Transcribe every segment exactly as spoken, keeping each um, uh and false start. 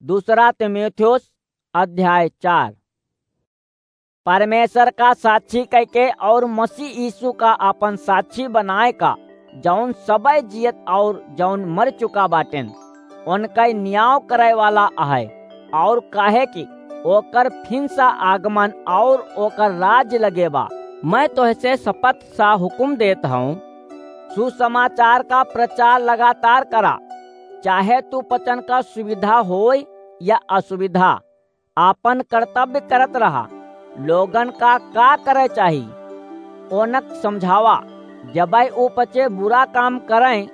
दूसरा तीमुथियुस अध्याय चार। परमेश्वर का साक्षी कइके और मसीह यीशु का आपन साक्षी बनाए का, जौन सबय जियत और जौन मर चुका बाटेन, उनका न्याय करे वाला आहे, और काहे कि ओकर फिन सा आगमन और ओकर राज लगे बा। मैं तोहसे शपथ सा हुकुम देत हूँ, सुसमाचार का प्रचार लगातार करा, चाहे तू वचन का सुविधा होय या असुविधा, आपन कर्तव्य करत रहा। लोगन का का करे चाही, ओनक समझावा। जबै ऊ पचे बुरा काम करें,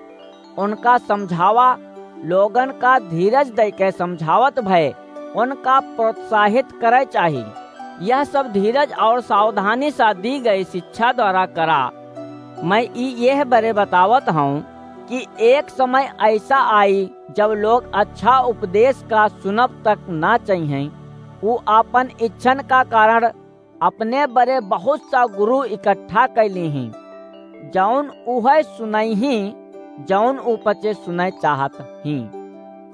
उनका समझावा। लोगन का धीरज दइके समझावत भय उनका प्रोत्साहित करे चाही। यह सब धीरज और सावधानी सा दी गई शिक्षा द्वारा करा। मैं ई यह बरे बतावत हूँ कि एक समय ऐसा आई, जब लोग अच्छा उपदेश का सुनब तक ना चाहिए। ऊ आपन इच्छन का कारण अपने बरे बहुत सा गुरु इकट्ठा कैली ही, जौन उहे सुनई ही, जौन ऊ पचे सुनय चाहत ही।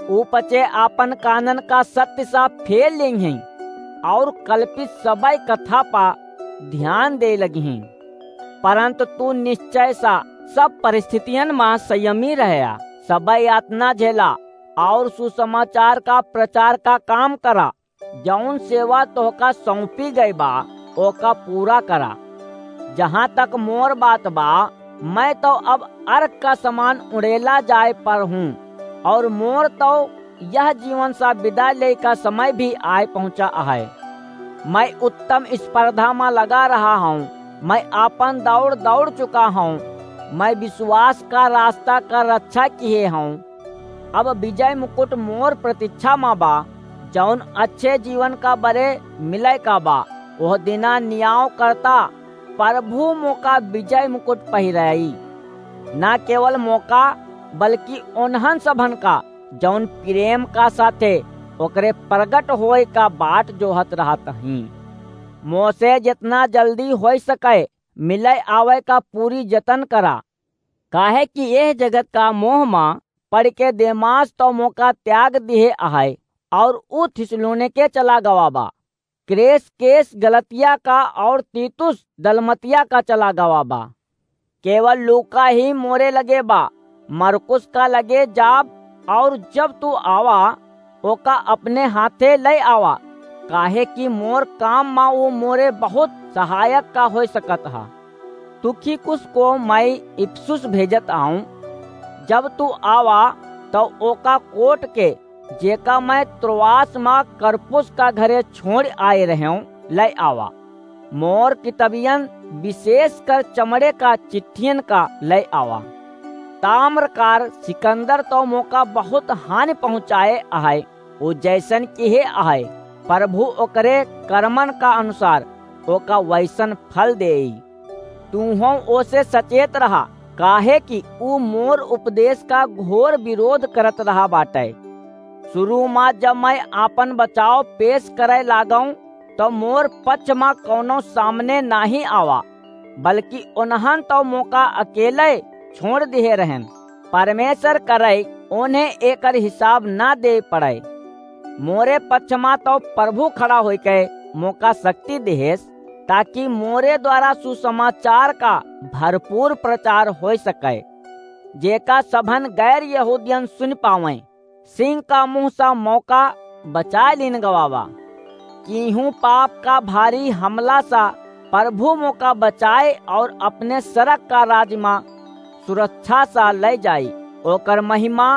ऊ पचे आपन कानन का सत्य सा फेर लेई ही, और कल्पित सबै कथा पा ध्यान दे लगी ही। परंतु तू निश्चय सा सब परिस्थितियन मा संयमी रहया, सबै यातना झेला, और सुसमाचार का प्रचार का काम करा। जौन सेवा तोहका सौंपी गई बा, ओका पूरा करा। जहाँ तक मोर बात बा, मैं तो अब अर्क का समान उड़ेला जाए पर हूँ, और मोर तो यह जीवन सा विदा ले का समय भी आए पहुँचा है। मैं उत्तम स्पर्धा मा लगा रहा हूँ, मैं आपन दौड़ दौड़ चुका हूँ, मैं विश्वास का रास्ता का रक्षा किए हूँ। अब विजय मुकुट मोर प्रतीक्षा मा बा, जौन अच्छे जीवन का बरे मिले का बा। वह दिना न्याय करता प्रभु मोका विजय मुकुट पहिराई, ना केवल मोका, बल्कि ओन्हन सभन का, जौन प्रेम का साथे ओकरे प्रगट होए का बाट जोहत रहत ही। मोसे जितना जल्दी होई सके, मिले आवे का पूरी जतन करा, काहे कि यह जगत का मोह मा पड़ के देमास तो मोका त्याग दिहे आहे, और ऊ थिस्सलुनीके चला गवा बा। क्रेसकेंस गलतिया का और तीतुस दलमतिया का चला गवा बा। केवल लूका ही मोरे लगे बा। मरकुस का लगे जाब, और जब तू आवा, ओका अपने हाथे ले आवा, काहे कि मोर काम मा ऊ मोरे बहुत सहायक का होय सकत हा। तुखिकुस को मैं इफिसुस भेजत आऊं। जब तू आवा, तो ओका कोट के, जेका मैं त्रोआस मा करपुस का घरे छोड़ आए रहेंव, ले आवा। मोर कितबियन, विशेषकर चमड़े का चिट्ठियन का ले आवा। ताम्रकार सिकंदर तो मोका बहुत हानि पहुँचाए आहे, ऊ जैसन किहे आहे, प्रभु ओकरे कर्मन का अनुसार ओका वैसन फल देई। तूहों ओसे सचेत रहा, काहे कि ऊ मोर उपदेश का घोर विरोध करत रहा बाटे। शुरू मा जब मैं आपन बचाव पेश करे लागऊं, तो मोर पक्ष मा कौनो सामने नाहीं आवा, बल्कि उन्हन तो मोका अकेले छोड़ दिहे रहन। परमेश्वर करे उन्हें एकर हिसाब ना दे पड़े। मोरे पक्ष मा तो प्रभु खड़ा होइके मोका शक्ति देहेस, ताकि मोरे द्वारा सुसमाचार का भरपूर प्रचार होय सके, जेका सभन गैर यहूदियन सुन पावें। सिंह का मुँह सा मोका बचाए लीन गवा बा। किहूँ पाप का भारी हमला सा प्रभु मोका बचाए और अपने सरग का राज मा सुरक्षा सा ले जाई। ओकर महिमा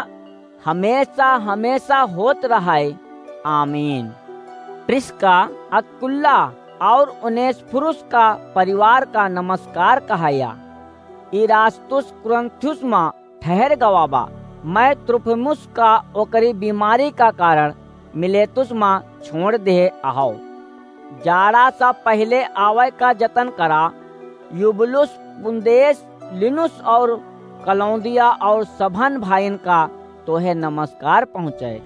हमेशा, हमेशा होत रहे। आमीन। प्रिस्का, अक्विला और उनेसिफुरुस का परिवार का नमस्कार कहाया। इरास्तुस कुरिन्थुस मा ठहर गवा बा। मैं त्रुफिमुस का ओकरी बीमारी का कारण मिलेतुस मा छोड़ देहे आहो। जाड़ा सा पहिले आवे का जतन करा। युबलुस, पुन्देस, लिनुस और कलौदिया और सभन भाईन का तोहे नमस्कार पहुँचे।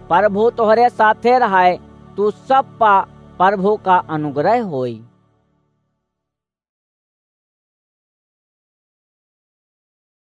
प्रभु तोहरे साथे रहे, तू सब पा प्रभु का अनुग्रह होई।